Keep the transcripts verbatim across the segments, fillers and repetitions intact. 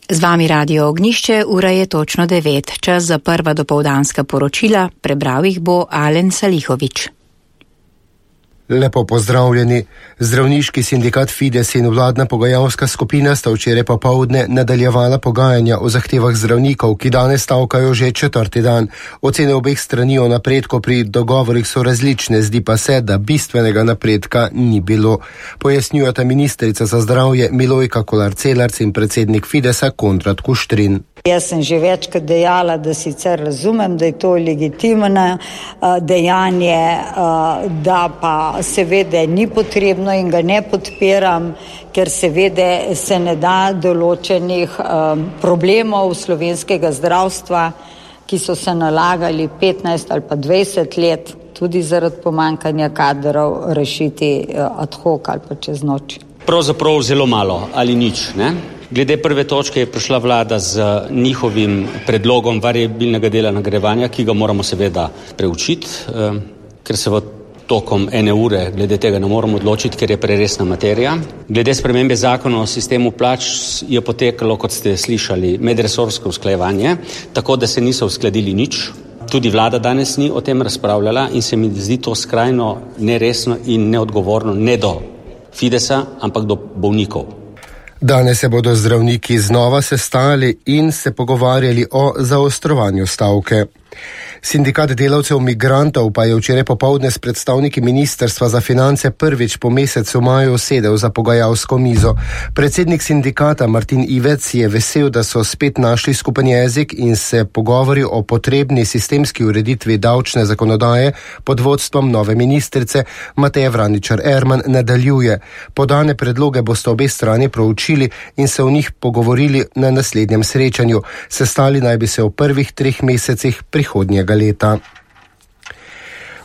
Z vami Radio Ognišče, ura je točno devet. Čas za prva dopoldanska poročila, prebral jih bo Alen Salihovič. Lepo pozdravljeni. Zdravniški sindikat Fides in vladna pogajalska skupina sta včeraj popoldne nadaljevala pogajanja o zahtevah zdravnikov, ki danes stavkajo že četrti dan. Ocene obeh strani o napredku pri dogovorih so različne, zdi pa se, da bistvenega napredka ni bilo. Pojasnjujeta ministrica za zdravje Milojka Kolar-Celarc in predsednik Fidesa Konrad Kuštrin. Jaz sem že večkrat dejala, da sicer razumem, da je to legitimno dejanje, da pa seveda ni potrebno in ga ne podpiram, ker seveda se ne da določenih problemov slovenskega zdravstva, ki so se nalagali petnajst ali pa dvajset let, tudi zaradi pomanjkanja kadrov, rešiti ad hoc ali pa čez noč. Pravzaprav zelo malo ali nič, ne? Glede prve točke je prišla vlada z njihovim predlogom variabilnega dela nagrajevanja, ki ga moramo seveda preučiti, ker se v tokom ene ure glede tega ne moramo odločiti, ker je preresna materija. Glede spremembe zakona o sistemu plač je potekalo, kot ste slišali, medresorsko usklajevanje, tako da se niso uskladili nič. Tudi vlada danes ni o tem razpravljala in se mi zdi to skrajno neresno in neodgovorno, ne do Fidesa, ampak do bolnikov. Danes se bodo zdravniki znova sestali in se pogovarjali o zaostrovanju stavke. Sindikat delavcev migrantov pa je včeraj popoldne s predstavniki Ministrstva za finance prvič po mesecu maju sedel za pogajalsko mizo. Predsednik sindikata Martin Ivec je vesel, da so spet našli skupen jezik in se pogovori o potrebni sistemski ureditvi davčne zakonodaje pod vodstvom nove ministrice Mateje Vraničar Erman nadaljuje. Podane predloge boste obe strani proučili in se o njih pogovorili na naslednjem srečanju. Sestali naj bi se v prvih treh mesecih prihodnjega leta.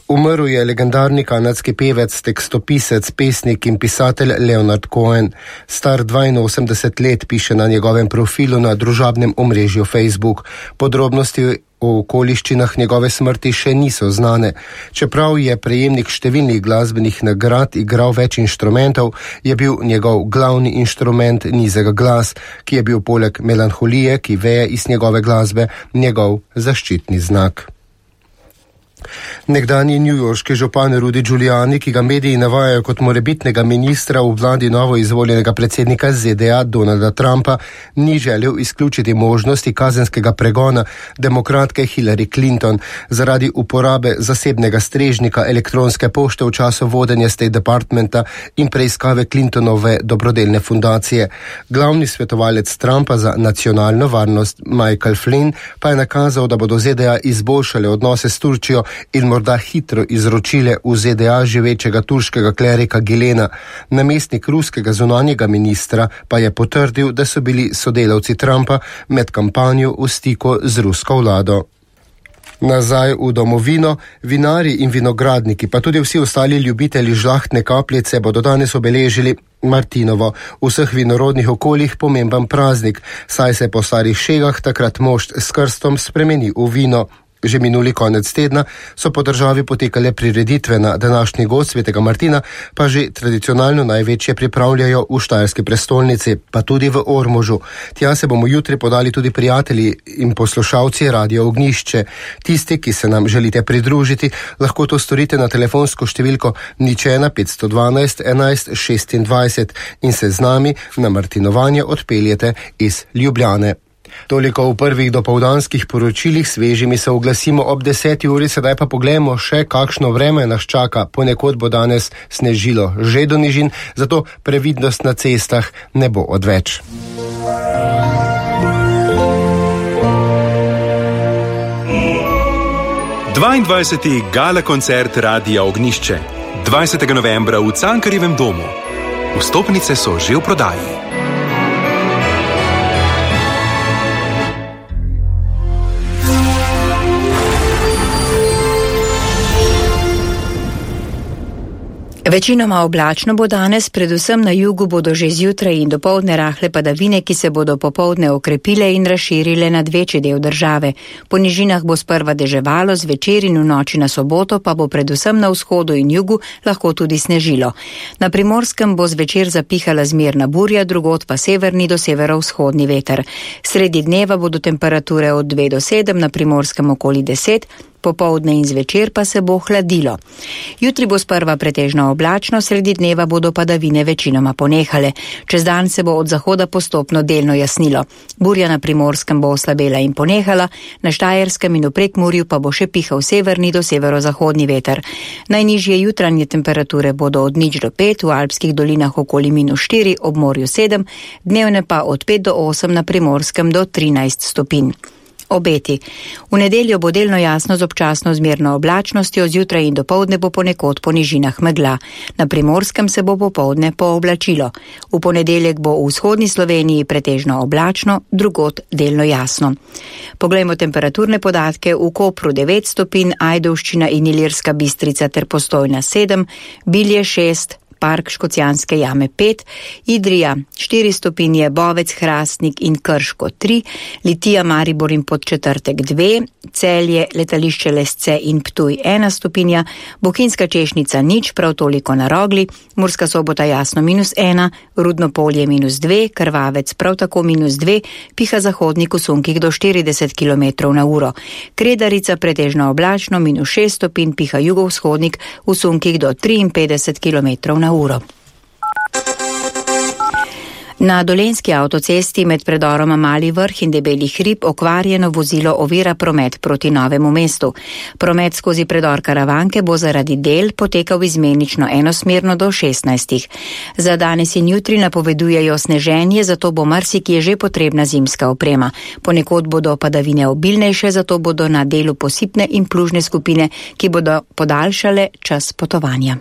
Umrl je legendarni kanadski pevec, tekstopisec, pesnik in pisatelj Leonard Cohen. Star dvainosemdeset let, piše na njegovem profilu na družabnem omrežju Facebook. Podrobnosti o okoliščinah njegove smrti še niso znane. Čeprav je prejemnik številnih glasbenih nagrad, igral več inštrumentov, je bil njegov glavni inštrument nizek glas, ki je bil poleg melanholije, ki veje iz njegove glasbe, njegov zaščitni znak. Nekdanji newyorški župan Rudy Giuliani, ki ga mediji navajajo kot morebitnega ministra v vladi novo izvoljenega predsednika Z D A Donalda Trumpa, ni želel izključiti možnosti kazenskega pregona demokratke Hillary Clinton zaradi uporabe zasebnega strežnika elektronske pošte v času vodenja State Departmenta in preiskave Clintonove dobrodelne fundacije. Glavni svetovalec Trumpa za nacionalno varnost Michael Flynn pa je nakazal, da bodo Z D A izboljšale odnose s Turčijo in morda hitro izročile v Z D A živečega turškega klerika Gilena. Namestnik ruskega zunanjega ministra pa je potrdil, da so bili sodelavci Trumpa med kampanjo v stiku z rusko vlado. Nazaj v domovino, vinari in vinogradniki, pa tudi vsi ostali ljubitelji žlahtne kapljice bodo danes obeležili Martinovo, v vseh vinorodnih okoljih pomemben praznik, saj se po starih šegah takrat mošt s krstom spremeni v vino. Že minuli konec tedna so po državi potekale prireditve na današnji gozd Svetega Martina, pa že tradicionalno največje pripravljajo v štajerski prestolnici, pa tudi v Ormožu. Tja se bomo jutri podali tudi prijatelji in poslušalci Radio Ognišče. Tisti, ki se nam želite pridružiti, lahko to storite na telefonsko številko nič ena petsto dvanajst enajst šestindvajset in se z nami na martinovanje odpeljete iz Ljubljane. Toliko v prvih dopoldanskih poročilih, svežimi se oglasimo ob deseti uri, sedaj pa poglejmo še, kakšno vreme nas čaka. Ponekod bo danes snežilo že do nižin, zato previdnost na cestah ne bo odveč. dvaindvajseti gala koncert Radia Ognišče, dvajsetega novembra v Cankarjevem domu. Vstopnice so že v prodaji. Večinoma oblačno bo danes, predvsem na jugu bodo že zjutraj in dopoldne rahle padavine, ki se bodo popoldne okrepile in razširile nad večji del države. Po nižinah bo sprva deževalo, zvečer in v noči na soboto pa bo predvsem na vzhodu in jugu lahko tudi snežilo. Na Primorskem bo zvečer zapihala zmerna burja, drugod pa severni do severovzhodni veter. Sredi dneva bodo temperature od dve do sedem, na Primorskem okoli deset, popoldne in zvečer pa se bo hladilo. Jutri bo sprva pretežno oblačno, sredi dneva bodo padavine večinoma ponehale. Čez dan se bo od zahoda postopno delno jasnilo. Burja na Primorskem bo oslabela in ponehala, na Štajerskem in v Prekmurju pa bo še pihal severni do severozahodni veter. Najnižje jutranje temperature bodo od nič do pet, v alpskih dolinah okoli minus štiri, ob morju sedem, dnevne pa od pet do osem, na Primorskem do trinajst stopinj. Obeti. V nedeljo bo delno jasno z občasno zmerno oblačnostjo, zjutraj in dopoldne bo ponekod po nižinah megla. Na Primorskem se bo popoldne pooblačilo. V ponedeljek bo v vzhodni Sloveniji pretežno oblačno, drugod delno jasno. Poglejmo temperaturne podatke. V Kopru devet stopinj, Ajdovščina in Ilirska Bistrica ter Postojna sedem, Bilje šest, Park Škocjanske jame pet, Idrija štiri stopinje, Bovec, Hrastnik in Krško tri, Litija, Maribor in Podčetrtek dve, Celje, Letališče Lesce in Ptuj ena stopinja, Bohinjska Češnica nič, prav toliko na Rogli, Murska Sobota jasno minus ena, Rudno Polje minus dve, Krvavec prav tako minus dve, piha zahodnik v sunkih do štirideset kilometrov na uro. Kredarica pretežno oblačno minus šest stopinj, piha jugovzhodnik v sunkih do triinpetdeset kilometrov na uro. Na Dolenjski avtocesti med predoroma Mali Vrh in Debeli hrib okvarjeno vozilo ovira promet proti Novemu mestu. Promet skozi predor Karavanke bo zaradi del potekal izmenično enosmerno do šestnajstih. Za danes in jutri napovedujejo sneženje, zato bo marsikje že potrebna zimska oprema. Ponekod bodo padavine obilnejše, zato bodo na delu posipne in plužne skupine, ki bodo podaljšale čas potovanja.